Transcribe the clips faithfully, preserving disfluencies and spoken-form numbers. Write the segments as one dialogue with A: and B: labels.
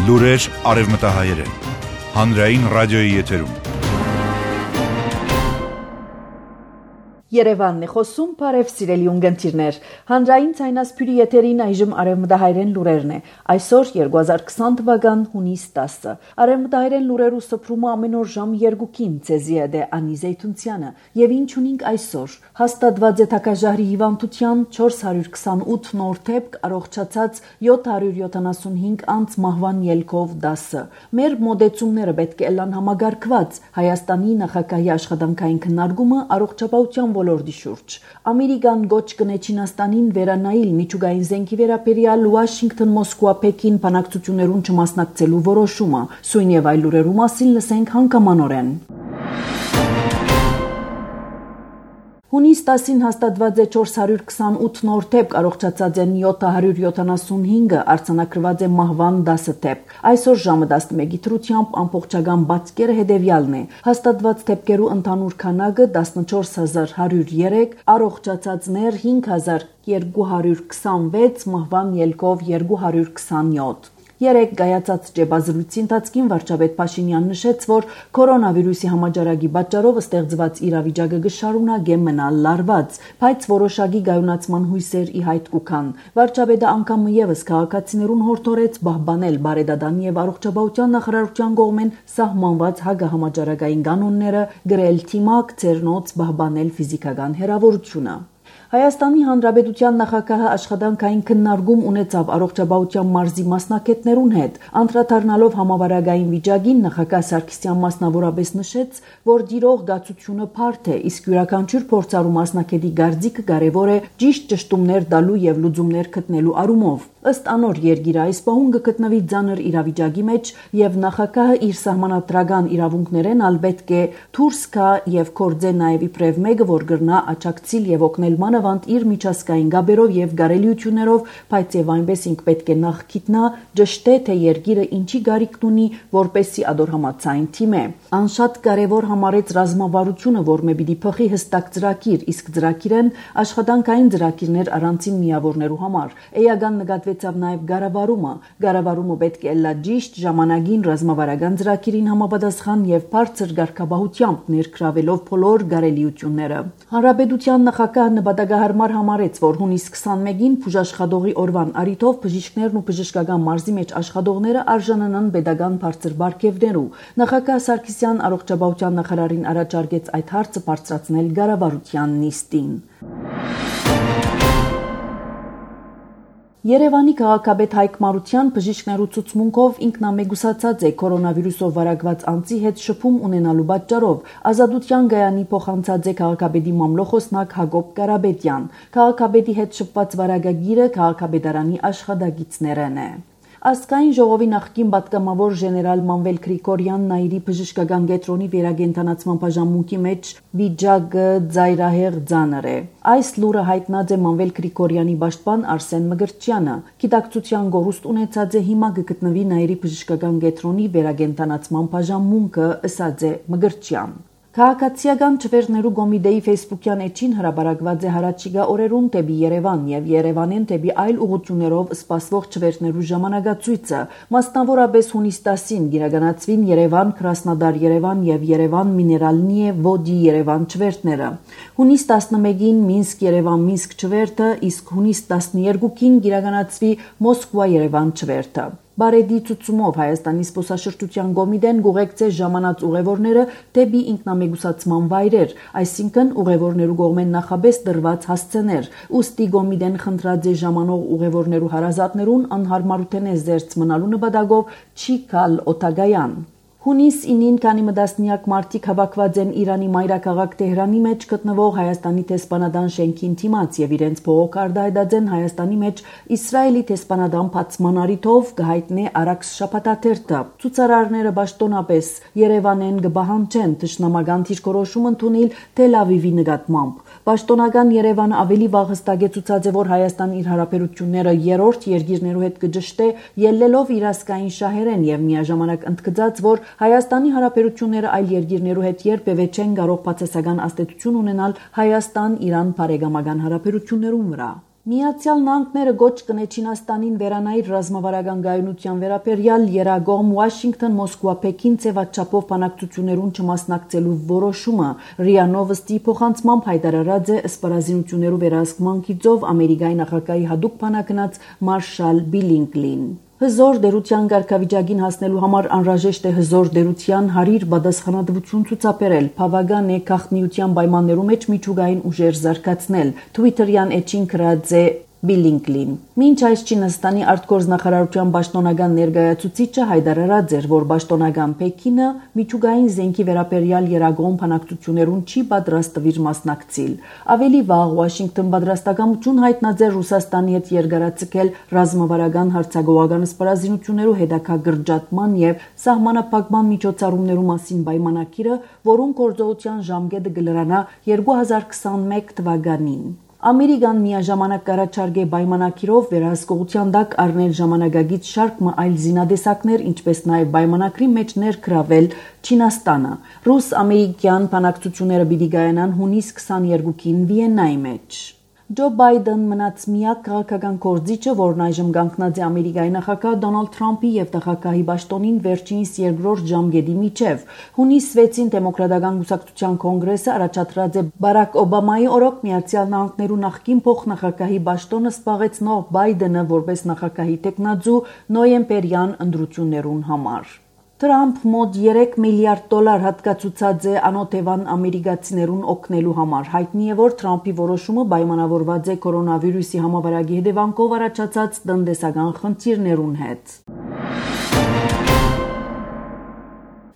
A: Լուրեր արևմտահայերեն։ Հանրային ռադիոյի եթերում։
B: Երևանն է խոսում, բարև սիրելի ունգընտիրներ։ Հանրային ցայնասփյուրի եթերին այժմ արևմտահայերեն լուրերն է։ Այսօր երկու հազար քսան թվական հունիս տասը։ Արևմտահայերեն լուրերու սփռումը ամեն օր ժամ երկուքին ցեզի է դե Անի Զեյթունցյանը։ Եվ ինչ ունենք այսօր։ Հաստատված է թակաժահրի հիվանդության չորս հարյուր քսանութ նոր դեպք, առողջացած յոթ հարյուր յոթանասունհինգ անց մահվան ելքով դասը։ Մեր մոդեցումները պետք է լան համագարկված Հայաստանի նախագահի աշխատանքային քննարկումը առողջապահության ոլորտի շուրջ։ Ամերիկան գոչ կնե Չինաստանին վերանայել միջուկային զենքի վերաբերյալ Վաշինգտոն, Մոսկվա, Պեկին բանակցություններուն չմասնակցելու որոշումը։ Սույն եւ այլ լուրերու մասին լսենք հանգամանորեն։ Հունիս տասին հաստատված է չորս հարյուր քսանութ նոր դեպք, առողջացած են յոթ հարյուր յոթանասունհինգը, արձանագրված է մահվան դասը դեպք։ Այսօր ժամը տասնմեկի դրությամբ ամբողջական բացկերը հետևյալն է։ Հաստատված դեպքերու ընդհանուր քանակը տասնչորս հազար հարյուր երեք, առողջացածներ հինգ հազար երկու հարյուր քսանվեց, մահվան ելքով երկու հարյուր քսանյոթ։ Երեք գայացած ճեպազրույցի ընթացքին վարչապետ Փաշինյանն նշեց, որ կորոնավիրուսի համաճարակի պատճառով ստեղծված իրավիճակը կշարունակե մնալ լարված, բայց որոշակի գայունացման հույսեր ի հայտ կուքան։ Վարչապետը անգամ եւս քաղաքացիներուն հորդորեց պահպանել բարեդատան եւ առողջապահության նախարարության կողմեն սահմանված հագահամաճարակային կանոնները, գրել թիմակ, ցերնոց պահպանել ֆիզիկական հեռավորությունը։ Հայաստանի Հանրապետության նախագահը աշխատանքային քննարկում ունեցավ առողջապահության մարզի մասնակիցներուն հետ, անդրադառնալով համավարակային վիճակին նախագահ Սարգսյան մասնավորապես նշեց, որ դիրող գացությունը բարդ է, իսկ յուրաքանչյուր փորձառու մասնակետի գարձիկը կարևոր է ճիշտ ճշտումներ տալու եւ լուծումներ գտնելու առումով։ Ըստ անոր երկիրը այս պահուն կգտնվի ծանր իրավիճակի մեջ եւ նախագահը իր սահմանադրական իրավունքներեն ալ պետք է դուրս գա եւ կործե նաեւ իբրև մեկը, որ գրնա աճակցիլ եւ օգնել մանավանդ իր միջազգային գաբերով եւ գարելիություններով, բայց եւ այնպես ինք պետք է նախ գիտնա ճշտե թե երկիրը ինչի գարիքն ունի, որպեսի ադորհամացային թիմ է։ Անշատ կարևոր համարեց ռազմավարությունը, որ մե պիտի փխի հստակ ծրագիր, իսկ ծրագիրեն աշխատանքային ծրագիրներ առանցին միավորներու համար։ Էական նկատվեցավ նաեւ գարավարումը։ Գարավարումը պետք է լա ճիշտ ժամանակին ռազմավարական ծրագիրին համապատասխան եւ բարձր ղեկավարությամբ ներգրավելով բոլոր գարելիությունները։ Հանրապետության նախագահը նպատակահարմար համարեց, որ հունիս քսանմեկին բուժաշխատողի օրվան առիթով բժիշկներն ու բժշկական մարզի մեջ աշխատողները արժանանան pedagogan բարձր բարգեւներու։ Նախագահ Սարգսյան առողջապահության նախարարին առաջարկեց այդ հարցը բարձրացնել կառավարության նիստին։ Երևանի քաղաքապետ Հայկ Մարության բժիշկներու ցուցմունքով ինքնամեգուսացած է կորոնավիրուսով վարակված անձի հետ շփում ունենալու պատճառով։ Ազատության գայանի փոխանցած է քաղաքապետի մամլոխոսնակ Հակոբ Կարապետյան։ Քաղաքապետի հետ շփված վարակագիրը քաղաքապետարանի աշխատակիցներն է։ Ազգային ժողովի նախկին պատգամավոր ժեներալ Մանվել Գրիգորյանն այրի բժշկական կենտրոնի վերագենտանացման բաժանմունքի մեջ վիճակը ծայրահեղ ծանր է։ Այս լուրը հայտնած է Մանվել Գրիգորյանի պաշտպան Արսեն Մգրտչյանը։ Գիտակցության գորուստ ունեցած է հիմա կգտնվի Նաիրի բժշկական կենտրոնի վերագենտանացման բաժանմունքը, ըսած է Մգրտչյան։ Քաղաքացիական չվերներու կոմիտեի ֆեյսբուքյան էջին հրապարակված է հարաճիգա օրերուն դեպի Երևան եւ Երևանեն դեպի այլ ուղղություններով սպասվող չվերներու ժամանակացույցը, մասնավորապես հունիս տասին գիրականացվին Երևան, Կրասնոդար Երևան եւ Երևան Միներալնիե Վոդի Երևան չվերթները։ Հունիս տասնմեկին Մինսկ Երևան Մինսկ չվերթը, իսկ հունիս տասներկուին գիրականացվի Մոսկվա Երևան չվերթը։ Բարեդի ցուցումով Հայաստանի զբոսաշրջության կոմիտեն գուղեկցե ժամանած ուղևորները դեպի ինքնամեգուսացման վայրեր, այսինքն ուղևորներու կողմեն նախաբես դրված հասցեներ։ Ուստի կոմիտեն խնդրած է ժամանող ուղևորներու հարազատներուն անհարմարութեն է զերծ մնալու նպատակով չի գալ օտագայան։ Հունիս ինին քանի մտասնյակ մարդիկ հավաքված են Իրանի մայրաքաղաք Տեհրանի մեջ գտնվող Հայաստանի տեսփանադան շենքին դիմաց եւ իրենց փողոք արտահայտած Հայաստանի մեջ Իսրայելի տեսփանադան բացման առիթով կհայտնե Արաքս շաբաթաթերթը։ Ցուցարարները պաշտոնապես Երևանեն կբահանջեն թշնամական դիրքորոշում ընդունել Թել Ավիվի նկատմամբ։ Պաշտոնական Երևանը ավելի վաղ հստակեցուցած է, որ Հայաստան իր հարաբերությունները երրորդ երկիրներու հետ կճշտե, ելնելով իր ազգային շահերեն եւ միաժամանակ ընդգծած, որ Հայաստանի հարաբերությունները այլ երկիրներու հետ երբևէ չեն կարող բացասական ազդեցություն ունենալ Հայաստան-Իրան բարեկամական հարաբերություններուն վրա։ Միացյալ Նահանգները գոչ կնե Չինաստանին վերանայր ռազմավարական գայունության վերաբերյալ երագողմ Վաշինգտոն, Մոսկվա, Պեկին ձևաչափով բանակցություններուն չմասնակցելու որոշումը ՌԻԱ Նովոստի փոխանցմամբ հայտարարած է սպառազինություններու վերահսկման գիծով Ամերիկայի նախագահի հատուկ բանակնած Մարշալ Բիլինգլին։ Հզոր դերության ղեկավարին հասնելու համար անհրաժեշտ է հզոր դերության հարիր պատասխանատվություն ցուցաբերել, բավական է գաղտնիության պայմաններու մեջ միջուկային ուժեր զարգացնել։ Թվիտերյան էջին գրած է Բիլինգլին։ Մինչ այս Չինաստանի արտգործնախարարության պաշտոնական ներկայացուցիչը հայտարարած էր, որ պաշտոնական Պեկինը միջուկային զենքի վերաբերյալ երագողմ բանակցություններուն չի պատրաստվիր մասնակցել։ Ավելի վաղ Վաշինգտոն պատրաստակամություն հայտնած էր Ռուսաստանի հետ երկարաձգել ռազմավարական հարցագողական սպառազինություններու հետագա կրճատման եւ սահմանափակման միջոցառումներու մասին պայմանագիրը, որոնց գործողության ժամկետը կլրանա երկու հազար քսանմեկ թվականին։ Ամերիկան միաժամանակ կառաջարկե պայմանագիրով վերահսկողության տակ առնել ժամանակակից շարք մը այլ զինադեսակներ, ինչպես նաև պայմանագրի մեջ ներգրավել Չինաստանը։ Ռուս-ամերիկյան բանակցությունները պիտի կայանան հունիս քսաներկուին Վիեննայի մեջ։ Ջո Բայդեն մնաց միակ քաղաքական գործիչը, որն այժմ կանգնած է Ամերիկայի նախագահ Դոնալդ Թրամփի եւ նախագահի պաշտոնին վերջինիս երկրորդ ժամկետի միջև։ Հունիս վեցին դեմոկրատական կուսակցության կոնգրեսը առաջադրած է Բարակ Օբամայի օրոք Միացյալ Նահանգներու նախկին փոխնախագահի պաշտոնը զբաղեցնող Բայդենը որպես նախագահի տեխնացու նոյեմբերյան ընտրություններուն համար։ Թրամփ մոտ երեք միլիարդ դոլար հատկացուցած է անօթևան ամերիկացիներուն օգնելու համար։ Հայտնի է, որ Թրամփի որոշումը պայմանավորված է կորոնավիրուսի համավարակի հետևանքով առաջացած տնտեսական խնդիրներուն հետ։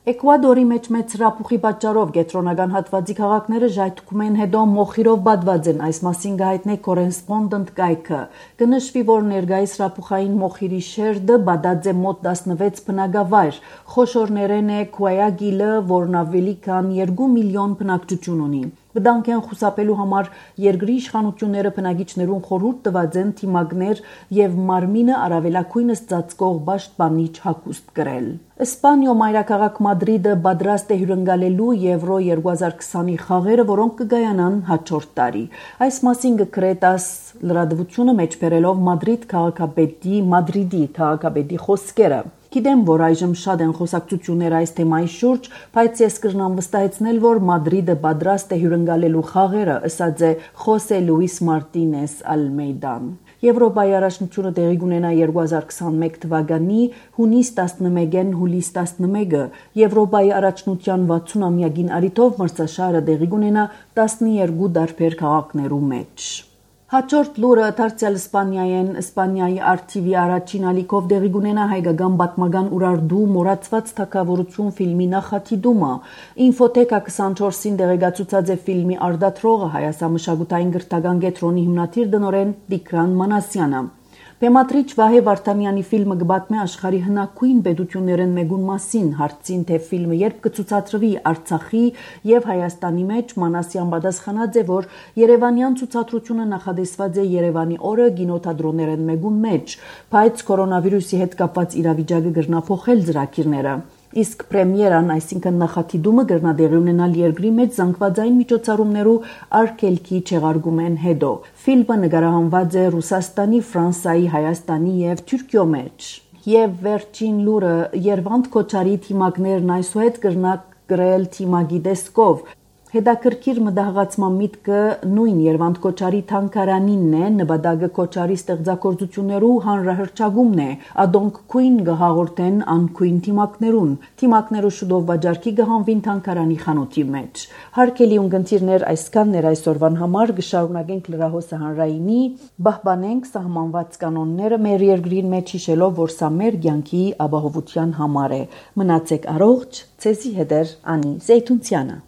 B: Էկվադորի մեջ մեծ հրապուխի պատճառով կենտրոնական հատվածի քաղաքները ժայթքում են հետո մոխիրով բադված են, այս մասին կհայտնե կորեսպոնդենտ կայքը։ Կնշվի, որ ներկայիս հրապուխային մոխիրի շերտը բադած է մոտ տասնվեց բնակավայր։ Խոշորներեն է Քուայագիլը, որն ավելի քան երկու միլիոն բնակչություն ունի։ Վտանգ են խուսափելու համար երկրի իշխանությունները բնակիչներուն խորհուրդ տված են թիմակներ եւ մարմինը առավելակույնս ծածկող պաշտպանիչ հագուստ կրել։ Իսպանիո մայրաքաղաք Մադրիդը պատրաստ է հյուրընկալելու Եվրո երկու հազար քսանի խաղերը, որոնք կգայանան հաջորդ տարի։ Այս մասին կգրե տաս լրատվությունը մեջբերելով Մադրիդ քաղաքապետի Մադրիդի քաղաքապետի խոսքերը։ Գիտեմ, որ այժմ շատ են խոսակցություններ այս թեմայի շուրջ, բայց ես կրնամ վստահեցնել, որ Մադրիդը պատրաստ է հյուրընկալելու խաղերը, ասաց է Խոսե Լուիս Մարտինես Ալմեյդան։ Եվրոպայի առաջնությունը տեղի կունենա երկու հազար քսանմեկ թվականի հունիս տասնմեկին հուլիս տասնմեկը։ Եվրոպայի առաջնության վաթսուն-ամյակին առիթով մրցաշարը տեղի կունենա տասներկու տարբեր քաղաքներու մեջ։ Հաջորդ լուրը դարձյալ Իսպանիայեն Իսպանիայի ար թի վի առաջին ալիքով տեղի կունենա հայկական պատմական ուրարտու մոռացված թագավորություն ֆիլմի նախատիդումը։ Ինֆոթեկա քսանչորսին տեղեկացուցած է ֆիլմի արդատրողը հայաստանմշակութային գրթական կենտրոնի հիմնադիր տնօրեն Տիգրան Մանասյանը։ Բեմադրիչ Վահե Վարդանյանի ֆիլմը կբացմի աշխարհի հնագույն պետություններն մեկուն մասին, հարցին թե ֆիլմը երբ կցուցադրվի Արցախի եւ Հայաստանի մեջ, Մանասյան պատասխանած է, որ Երևանյան ցուցադրությունը նախադեсված է Երևանի օրը կինոթատրոններն մեկուն մեջ, բայց կորոնավիրուսի հետ կապված իրավիճակը կրնափոխել ծրագիրները։ Իսկ պրեմիերան, այսինքն նախատիդումը կրնադեղի ունենալ երկրի մեջ զանգվածային միջոցառումներու արգելքի չեղարկումեն հետո։ Ֆիլմը նկարահանված է Ռուսաստանի, Ֆրանսիայի, Հայաստանի եւ Թուրքիո մեջ։ Եվ վերջին լուրը Երվանդ Քոչարի թիմակներն այսուհետ կրնակ գրել թիմագի դեսկով։ Հետաքրքիր մտահղացման միտքը նույն Երվանդ Քոչարի թանգարանինն է, նպատակը Քոչարի ստեղծագործություններու հանրահրճագումն է, ադոնք քույն գհաղորդեն անքույն թիմակներուն։ Թիմակներու շուտով վաճառքի կհանվին թանգարանի խանութի մեջ։ Հարգելի ունկնդիրներ, այսքանն էր այսօրվան համար, կշարունակենք լրահոսը հանրայինի, պահպանենք սահմանված կանոնները մեր երկրին մեջ հիշելով, որ սա մեր կյանքի ապահովության համար է։ Մնացեք առողջ, ցեզի հետ է Անի Զեյթունցյանը։